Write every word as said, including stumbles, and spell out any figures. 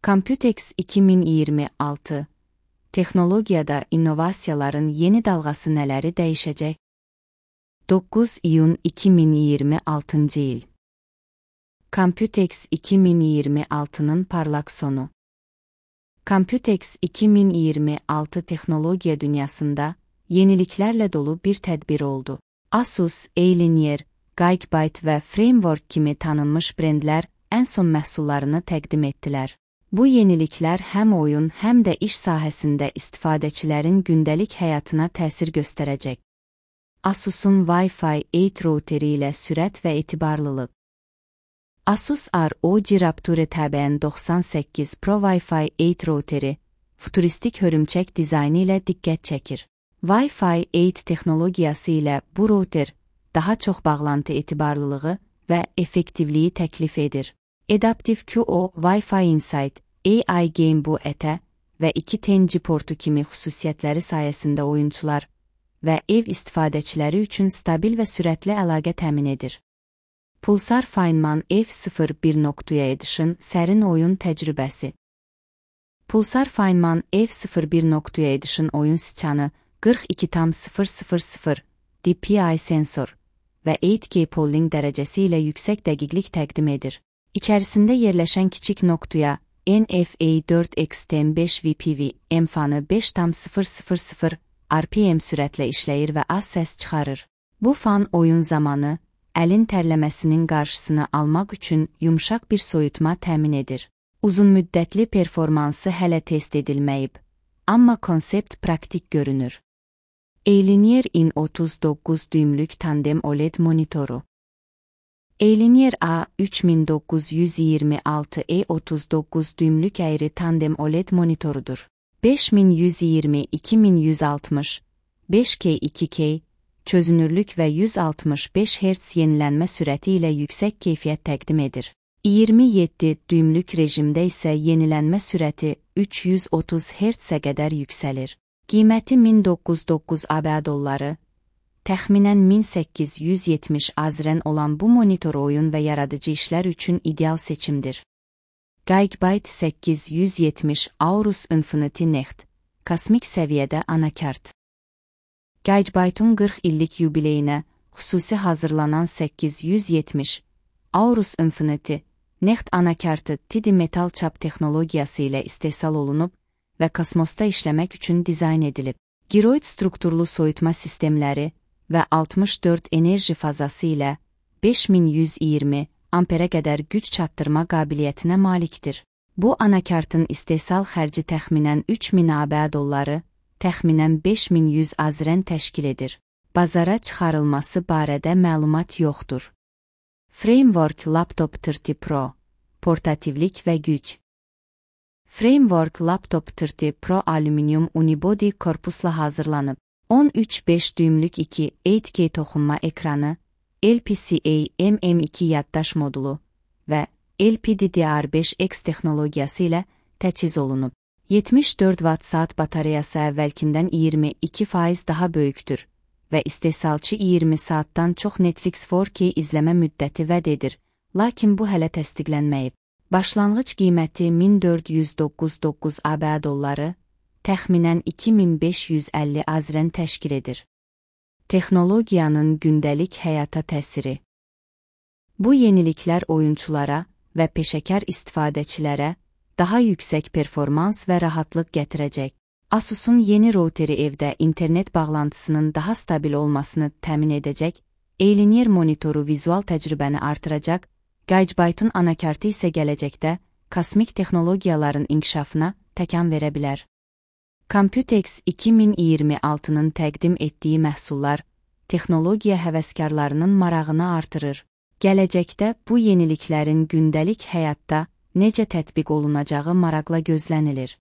Computex iki min iyirmi altı Texnologiyada innovasiyaların yeni dalğası nələri dəyişəcək? doqquz iyun iki min iyirmi altıncı il Computex iki min iyirmi altının parlaq sonu. Computex iki min iyirmi altı texnologiya dünyasında yeniliklərlə dolu bir tədbir oldu. Asus, Alienware, Gigabyte və Framework kimi tanınmış brendlər ən son məhsullarını təqdim etdilər. Bu yeniliklər həm oyun, həm də iş sahəsində istifadəçilərin gündəlik həyatına təsir göstərəcək. Asus'un Wi-Fi eight routeri ilə sürət və etibarlılıq. Asus R O G Rapture təbəən doxsan səkkiz Pro Wi-Fi eight routeri, futuristik hörümçək dizaynı ilə diqqət çəkir. Wi-Fi eight texnologiyası ilə bu router daha çox bağlantı etibarlılığı və effektivliyi təklif edir. Adaptive Q O, Wi-Fi Insight, A I Game bu ətə və iki ten G portu kimi xüsusiyyətləri sayəsində oyunçular və ev istifadəçiləri üçün stabil və sürətli əlaqə təmin edir. Pulsar Feynman F sıfır bir Edition sərin oyun təcrübəsi. Pulsar Feynman F sıfır bir Edition oyun siçanı qırx iki tam sıfır sıfır sıfır D P I sensor və eight K polling dərəcəsi ilə yüksək dəqiqlik təqdim edir. İçərisində yerləşən kiçik noktuya N F A dörd X T beş V P V M fanı beş tam sıfır sıfır sıfır R P M sürətlə işləyir və az səs çıxarır. Bu fan oyun zamanı əlin tərləməsinin qarşısını almaq üçün yumşaq bir soyutma təmin edir. Uzun müddətli performansı hələ test edilməyib, amma konsept praktik görünür. Alienware in otuz doqquz düymlük tandem O L E D monitoru. Alienware A üç min doqquz yüz iyirmi altı E otuz doqquz düymlük əyri tandem O L E D monitorudur. beş min yüz iyirmi iki min yüz altmış, beş K iki K, çözünürlük və yüz altmış beş hertz yenilənmə sürəti ilə yüksək keyfiyyət təqdim edir. iyirmi yeddi düymlük rejimdə isə yenilənmə sürəti üç yüz otuz hertzə qədər yüksəlir. Qiyməti min doqquz yüz doqquz ABŞ dolları, təxminən min səkkiz yüz yetmiş azren olan bu monitor oyun və yaradıcı işlər üçün ideal seçimdir. Gigabyte səkkiz yüz yetmiş Aorus Infinity Next, kosmik səviyyədə anakart. Gigabyte'un qırx illik yubileyinə xüsusi hazırlanan səkkiz yüz yetmiş Aorus Infinity Next anakartı T D metal çap texnologiyası ilə istehsal olunub və kosmosda işləmək üçün dizayn edilib. Giroid strukturlu soyutma sistemləri və altmış dörd enerji fazası ilə beş min yüz iyirmi amperə qədər güc çatdırma qabiliyyətinə malikdir. Bu anakartın istehsal xərci təxminən üç min ABŞ dolları, təxminən beş min yüz azren təşkil edir. Bazara çıxarılması barədə məlumat yoxdur. Framework Laptop otuz Pro, portativlik və güc. Framework Laptop otuz Pro alüminium unibody korpusla hazırlanıb. on üç beş düymlük iki eight K toxunma ekranı, L P C A M M iki yaddaş modulu və L P D D R beş X texnologiyası ilə təchiz olunub. yetmiş dörd watt saat batareyası əvvəlkindən iyirmi iki faiz daha böyükdür və istehsalçı iyirmi saatdan çox Netflix four K izləmə müddəti vəd edir, lakin bu hələ təsdiqlənməyib. Başlanğıc qiyməti min dörd yüz doqquz doqquz ABŞ dolları, təxminən iki min beş yüz əlli azren təşkil edir. Texnologiyanın gündəlik həyata təsiri. Bu yeniliklər oyunçulara və peşəkar istifadəçilərə daha yüksək performans və rahatlıq gətirəcək. Asus'un yeni routeri evdə internet bağlantısının daha stabil olmasını təmin edəcək, Alienware monitoru vizual təcrübəni artıracaq, Gigabyte'un anakartı isə gələcəkdə kosmik texnologiyaların inkişafına təkan verə bilər. Computex iki min iyirmi altının təqdim etdiyi məhsullar texnologiya həvəskarlarının marağını artırır. Gələcəkdə bu yeniliklərin gündəlik həyatda necə tətbiq olunacağı maraqla gözlənilir.